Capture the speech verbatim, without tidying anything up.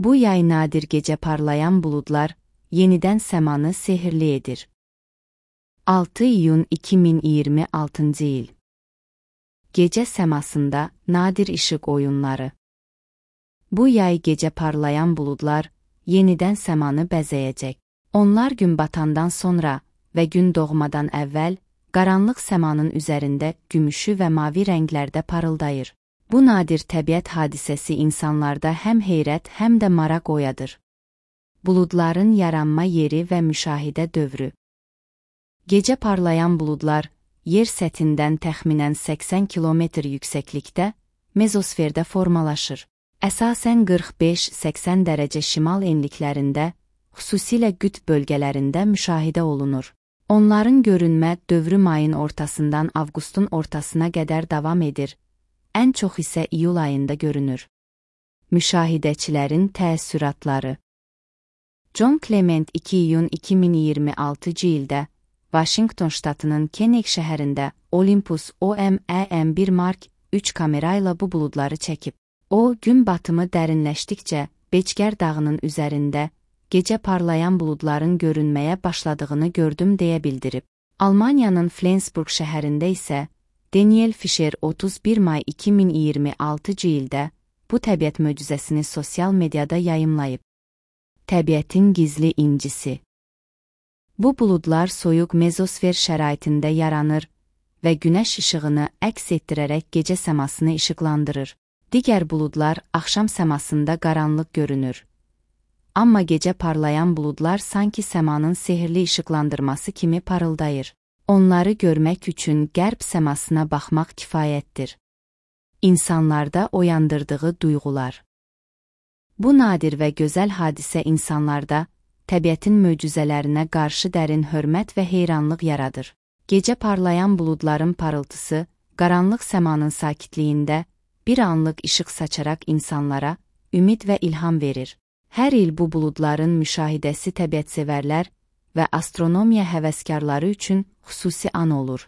Bu yay nadir gecə parlayan buludlar yenidən səmanı sehirli edir. altı iyun iki min iyirmi altıncı il. Gecə səmasında nadir işıq oyunları. Bu yay gecə parlayan buludlar yenidən səmanı bəzəyəcək. Onlar gün batandan sonra və gün doğmadan əvvəl qaranlıq səmanın üzərində gümüşü və mavi rənglərdə parıldayır. Bu nadir təbiət hadisəsi insanlarda həm heyrət, həm də maraq oyadır. Buludların yaranma yeri və müşahidə dövrü. Gecə parlayan buludlar yer səthindən təxminən səksən kilometr yüksəklikdə mezosferdə formalaşır. Əsasən qırx beş səksən dərəcə şimal enliklərində, xüsusilə qütb bölgələrində müşahidə olunur. Onların görünmə dövrü mayın ortasından avqustun ortasına qədər davam edir. Ən çox isə iyul ayında görünür. Müşahidəçilərin təəssüratları. John Clement iki iyun iki min iyirmi altıncı ildə Washington ştatının Kenneck şəhərində Olympus O M E M bir Mark üç kamerayla bu buludları çəkib. O, gün batımı dərinləşdikcə Beçgər dağının üzərində gecə parlayan buludların görünməyə başladığını gördüm deyə bildirib. Almaniyanın Flensburg şəhərində isə Daniel Fischer otuz bir may iki min iyirmi altıncı ildə bu təbiət möcüzəsini sosial mediada yayımlayıb. Təbiətin gizli incisi. Bu buludlar soyuq mezosfer şəraitində yaranır və günəş işığını əks etdirərək gecə səmasını işıqlandırır. Digər buludlar axşam səmasında qaranlıq görünür. Amma gecə parlayan buludlar sanki səmanın sehirli işıqlandırması kimi parıldayır. Onları görmək üçün qərb səmasına baxmaq kifayətdir. İnsanlarda oyandırdığı duyğular. Bu nadir və gözəl hadisə insanlarda təbiətin möcüzələrinə qarşı dərin hörmət və heyranlıq yaradır. Gecə parlayan buludların parıltısı, qaranlıq səmanın sakitliyində bir anlıq işıq saçaraq insanlara ümid və ilham verir. Hər il bu buludların müşahidəsi təbiətsevərlər və astronomiya həvəskarları üçün xüsusi an olur.